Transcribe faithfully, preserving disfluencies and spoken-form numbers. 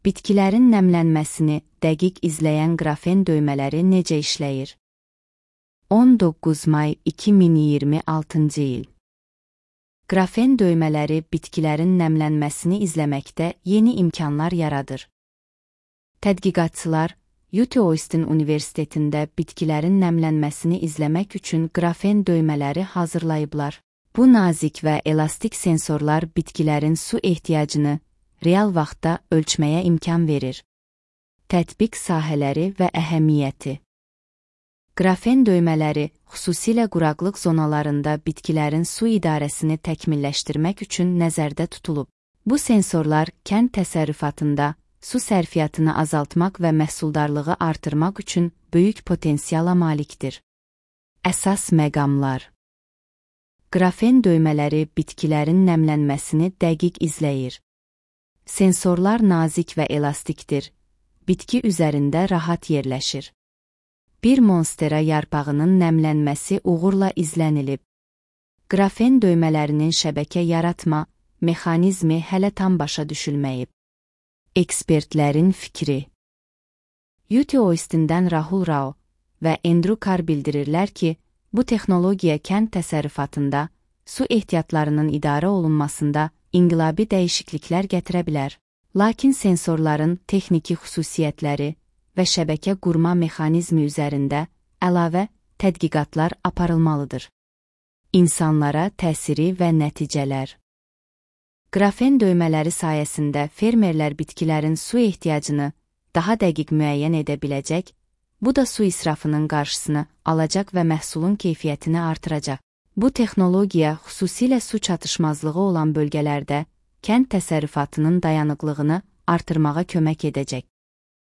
Bitkilərin nəmlənməsini dəqiq izləyən qrafen döymələri necə işləyir? on doqquz may iki min iyirmi altıncı il. Qrafen döymələri bitkilərin nəmlənməsini izləməkdə yeni imkanlar yaradır. Tədqiqatçılar U T Austin Universitetində bitkilərin nəmlənməsini izləmək üçün qrafen döymələri hazırlayıblar. Bu nazik və elastik sensorlar bitkilərin su ehtiyacını real vaxtda ölçməyə imkan verir. Tətbiq sahələri və əhəmiyyəti. Qrafen döymələri xüsusilə quraqlıq zonalarında bitkilərin su idarəsini təkmilləşdirmək üçün nəzərdə tutulub. Bu sensorlar kənd təsərrüfatında su sərfiyyatını azaltmaq və məhsuldarlığı artırmaq üçün böyük potensiala malikdir. Əsas məqamlar. Qrafen döymələri bitkilərin nəmlənməsini dəqiq izləyir. Sensorlar nazik və elastikdir. Bitki üzərində rahat yerləşir. Bir monstera yarpağının nəmlənməsi uğurla izlənilib. Qrafen döymələrinin şəbəkə yaratma mexanizmi hələ tam başa düşülməyib. Ekspertlərin fikri. U T Austin'dən Rahul Rao və Andrew Carr bildirirlər ki, bu texnologiya kənd təsərrüfatında su ehtiyatlarının idarə olunmasında inqilabi dəyişikliklər gətirə bilər. Lakin sensorların texniki xüsusiyyətləri və şəbəkə qurma mexanizmi üzərində əlavə tədqiqatlar aparılmalıdır. İnsanlara təsiri və nəticələr. Qrafen döymələri sayəsində fermerlər bitkilərin su ehtiyacını daha dəqiq müəyyən edə biləcək, bu da su israfının qarşısını alacaq və məhsulun keyfiyyətini artıracaq. Bu texnologiya xüsusilə su çatışmazlığı olan bölgələrdə kənd təsərrüfatının dayanıqlığını artırmağa kömək edəcək.